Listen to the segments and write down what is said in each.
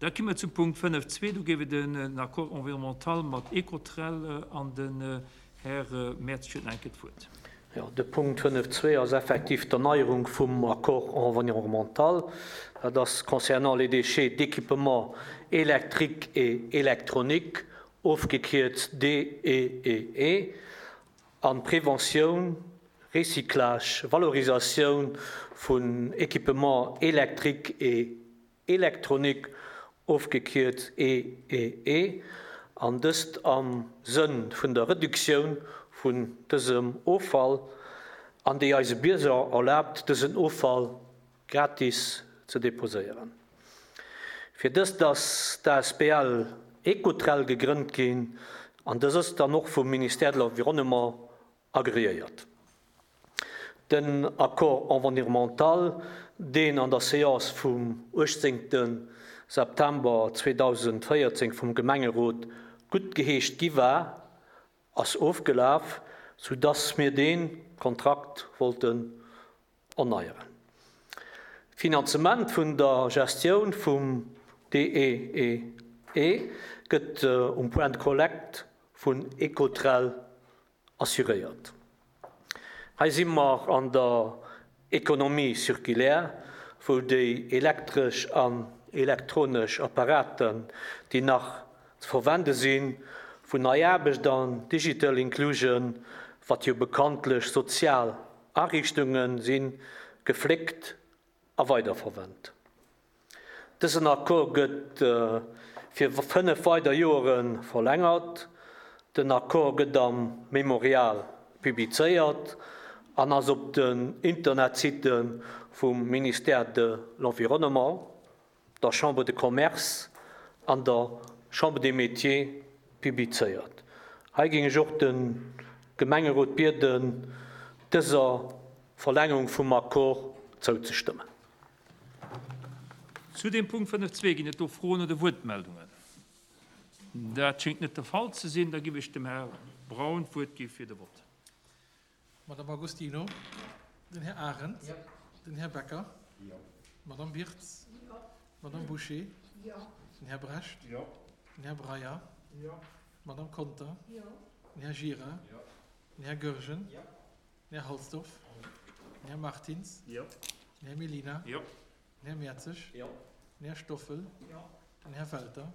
Da komme mer zum Punkt 5.2. Do géif et en Accord environnemental mat Ecotrel an den Här Mertz huet nach eng Kéier d'Wuert. Jo, de Punkt 5.2 ass effektiv d'Erneierung vum Accord environnemental. Dat ass concernant les déchets d'équipements électriques et électroniques, ofgekierzt DEEE, an Preventioun, Recyclage, Valorisatioun vun Équipements électriques et électroniques, ofgekierzt EEE, an dëst am Sënn vun der Reduktioun vun dësem Offall an déi eise Bierger erlaabt, dësen Offall gratis ze deposéieren. Fir dëst ass d'asbl Ecotrel gegrënnt ginn an dës ass dann och vum Ministère de l'Environnement agreéiert. Den Accord environnemental, deen an der Séance vum 18 September 2014 vum Gemengerot guttgeheescht gi war, ass ofgelaf, soudass mir dee Kontrakt wollten erneieren. D'Finanzement vun der Gestioun vum DEEE gëtt um Point de collecte vun Ecotrel assuréiert. Hei si mer an der Économie circulaire, wou déi elektresch an elektronesch Apparaten, déi nach ze verwende sinn, vun Nei Aarbecht an Digital Inclusion, wat jo bekanntlech sozial Ariichtunge sinn, gefléckt a weiderverwent. Dësen Accord gëtt fir 5 weider Joere verlängert. Den Accord gëtt am Memorial publizéiert an ass op den Internetsitte vum Ministère de l'Environnement, der Chambre de Commerce an der Chambre des Métiers publizéiert. Hei géing ech och de Gemengerot bieden, dëser Verlängerung vum Accord zouzestëmmen. Zu deem Punkt 5.2 ginn et do Froen oder Wuertmeldungen? Dat schéngt net de Fall ze sinn. Da giff ech dem Här Braun d'Wuert gi fir de Vott. Madame Agostino, den Här Arendt, den Här Becker, d'Madame Wirtz, d'Madame Bouché, den Här Brecht, den Här Breyer, d'Madame Conter, den Här Gira, den Här Goergen, Den Här Halsdorf. Den Här Martins. Den Här Mellina. Den Här Mertzig. Den Här Stoffel. Den Här Welter.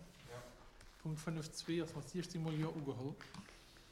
Punkt 5.2 ass mat 16 mol Jo ugeholl.